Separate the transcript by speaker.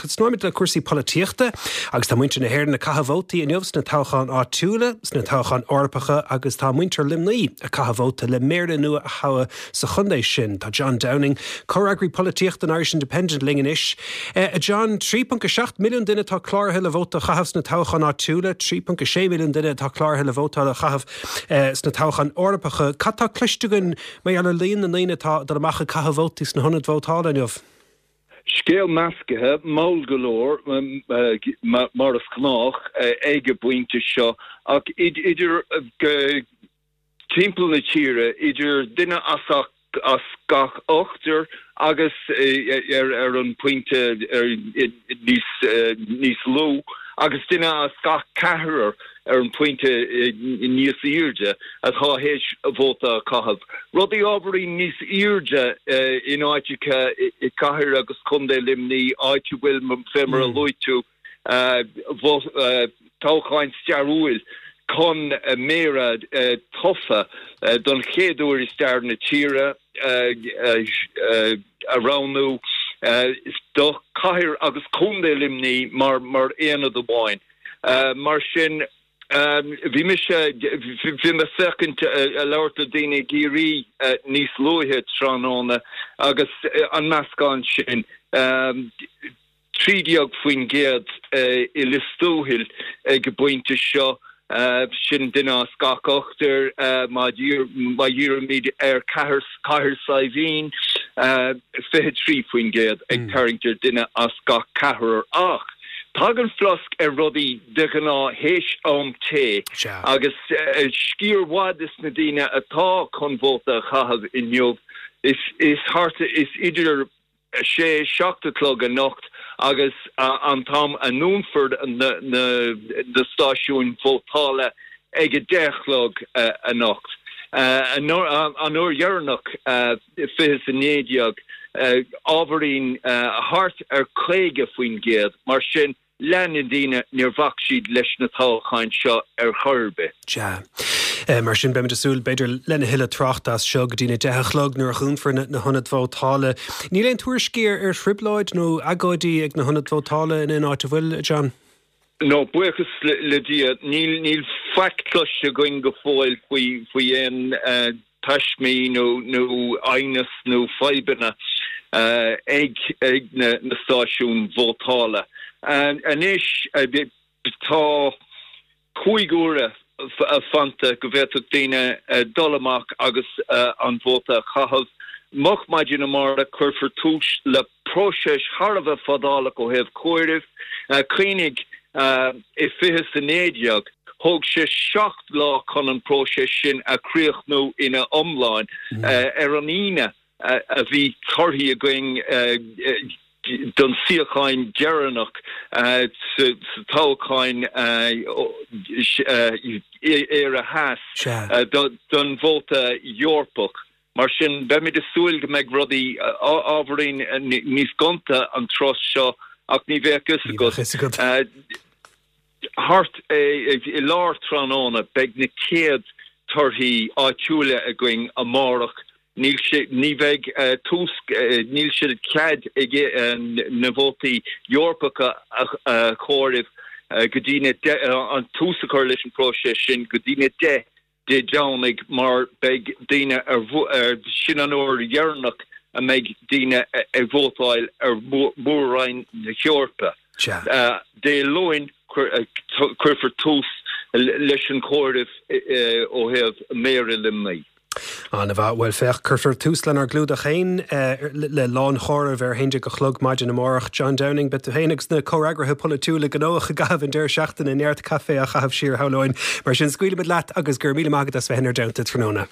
Speaker 1: Tosnóimid le cúrsaí polaitíochta agus tá muintir na hÉireann ag caitheamh vótaí inniu sna toghcháin áitiúla, sna toghcháin Eorpacha agus tá muintir Luimnigh ag caitheamh vóta le méara nua a thoghadh sa chontae sin. Tá John Downing, comhfhreagraí polaitíochta an Irish Independent linn anois. A John, 3.7 milliún duine atá cláraithe le vóta a chaitheamh sna toghcháin áitiúla, 3.6 milliún duine atá cláraithe le vótáil a chaitheamh sna toghcháin Eorpacha. Cad tá cloiste againn mar gheall ar líon na ndaoine atá ag dul amach ag caitheamh vótaí sna hionaid vótála inniu?
Speaker 2: Scéal meascaithe, mall go leor, mar is gnách ag an bpointe seo, ach idir timpeall na tíre, idir duine as gach ochtar agus ar an bpointe níos lú, agus duine as gach ceathrar ar an bpointe níos airde atá théis vóta a chaitheamh. Rudaí ábhairín níos airde in áiteacha i gcathair agus contae Luimnigh, áit a bhfuil, fé mar a luaigh tú, toghcháin stairiúil chun méara tofa don chéad uair i stair na tíre a roghnú do chathair agus contae Luimnigh mar aonad amháin. Mar sin, bhí mise, bhí mé ag féachaint, ag labhairt le daoine i gCiarraí níos luaithe tráthnóna agus an meascán sin, 13% i Lios Tuathail ag an bpointe seo, sin duine as gach ochtar. Má dhírímid ar Cathair Saidhbhín, 23% ag tarraingt ar duine as gach ceathrar. Ach tagann flosc ar rudaí de ghnáth théis am tae agus sciar mhaith des na daoine atá chun vóta a chaitheamh inniu, is thart, is idir sé, 7 a chlog anocht agus an t-am a ndúnfar na stáisiúin vótála ag 10 a chlog anocht. An uair dheireanach, 20 is 19, ábhairín thart ar 50%, mar sin Leath na ndaoine, níor bhac siad leis na toghcháin seo ar chor ar bith.
Speaker 1: Sea. Mar sin, beimid ag súil, b'fhéidir, lena thuilleadh tráchta as seo go dtí na deich a chlog nuair a dhúnfar na hionaid vótála. Níl aon tuairiscí ar thrioblóid nó agóidí ag na hionaid vótála in aon áit, an bhfuil, a John?
Speaker 2: No, buíochas le Dia, níl, níl faic cloiste againn go fóill faoi, faoi aon taismí nó aighneas nó fadhbanna ag na stáisiúin vótála. Anois tá 5 uaire fanta go bhféadfadh daoine dul amach agus an vóta a chaitheamh. Moch maidin amárach cuirfear tús le próiseas thar a bheith fadálach ó thaobh comhairimh. Cuimhnigh, i 2019, thóg sé 7 lá chun an próiseas sin a chríochnú ina iomlán. Ar an Aoine a bhí torthaí againn don suíochán deireanach sa toghchán Éire Theas don vóta Eorpach. Mar sin, beimid ag súil go mbeidh rudaí ábhairín níos gonta an turas seo ach ní bheadh fhios agat. Thart i lár tráthnóna beidh na chéad torthaí áitiúla againn amárach. Níl sé, ní bheidh tús, níl sé cead ag na vótaí Eorpacha a chomhaireamh go dtí na, an tús a chur leis an bpróiseas sin go dtí na 10 Dé Domhnaigh mar beidh daoine ar, sin an uair dheireanach a mbeidh daoine ag vótáil ar Mhór-Roinn na hEorpa. Dé Luain cuirfear tús leis an chomhaireamh ó thaobh Méara Luimnigh.
Speaker 1: An-mhaith. Bhuel, féach, cuirfear tús lenár gclúdach féin le lánchomhaireamh ar a haon déag a chlog maidin amárach. John Downing, beidh tú féin agus na comhfhreagraithe polaitiúla gnóthach i gcaitheamh an deireadh seachtaine, neart caife á chaitheamh siar, shamhlóinn. Mar sin, scaoilfimid leat agus go raibh míle maith agat as bheith inár dteannta tráthnóna.